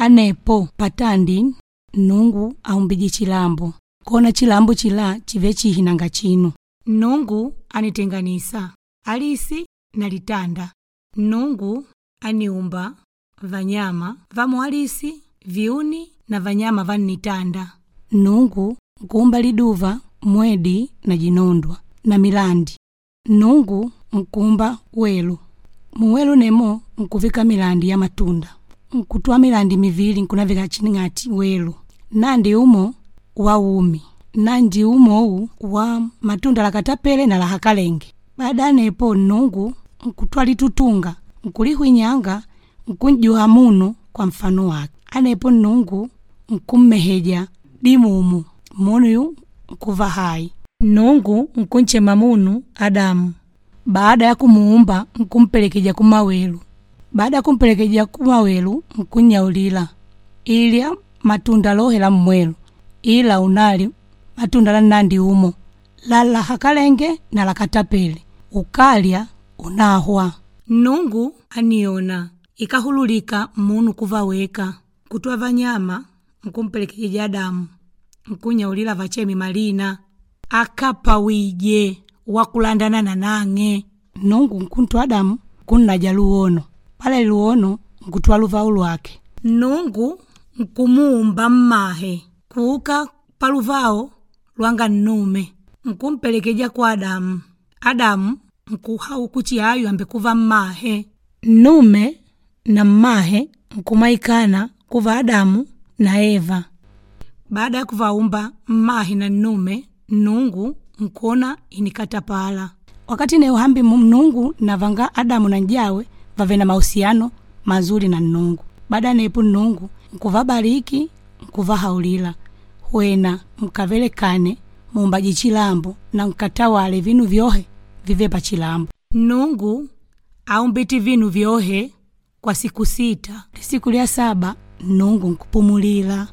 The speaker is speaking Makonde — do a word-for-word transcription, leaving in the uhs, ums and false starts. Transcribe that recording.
Anepo patandi Nnungu aumbije chilambo, kona chilambo chila chive chihi nanga chinu. Nnungu anitenganisa alisi na litanda. Nnungu aniumba vanyama va mualisi, viuni na vanyama va nnitanda. Nnungu nkuumba liduva, mwedi na jinondwa na milandi. Nnungu nkuumba welu. Muwelu nemo nkuvika milandi ya matunda. Nkutwaa milandi mivili nkunavika chining'ati welu. Nandi umo wa umi, nandi umo wa matunda lakatapele na lahakalenge. Baada ya nepo Nnungu nkutwaa litutunga, nkulihwinyanga, nkunjuha munu kwa mfano wake. Anepo Nnungu nkummeheja dimumu, munu yu nkuva hai. Nnungu nkunchema munu Adamu. Baada ya kumuumba nkumpelekeja kumawelu. Baada ya kumpelekeja kumawelu nkunyaulila ilya matunda lohe la mmwelu ila unali matunda la nnandi umo la lahakalenge na lakatapele ukalya unahwa. Nnungu aniona ikahululika munu kuva weka kutwa vanyama nkumpelekeja Adamu nkunyaulila vacheme malina akapawije wakulandana na nang'e. Nnungu nkuntwa Adamu nkunnaja luwono, pale luwono nkutwaa luvau lwake. Nnungu nkumuumba mmahe kuuka paluvao lwanga nnume nkumpelekeja kwa Adamu. Adamu nkuhau kuchi ayu ambekuva mmahe. Nnume na mmahe nkumaikana kuva Adamu na Eva. Baada ya kuvaumba mmahe na nnume, Nnungu nkuona inikatapala. Wakati neuhambi Nnungu navanga Adamu na njawe vave na mahusiano mazuri na Nnungu. Baada ya nepo Nnungu nkuvabariki nkuvahaulila wena mkavelekane muumbaji chilambo na nkatawale vinu vyohe vive pachilambo. Nnungu aumbiti vinu vyohe kwa siku sita. Siku lya saba Nnungu nkupumulila.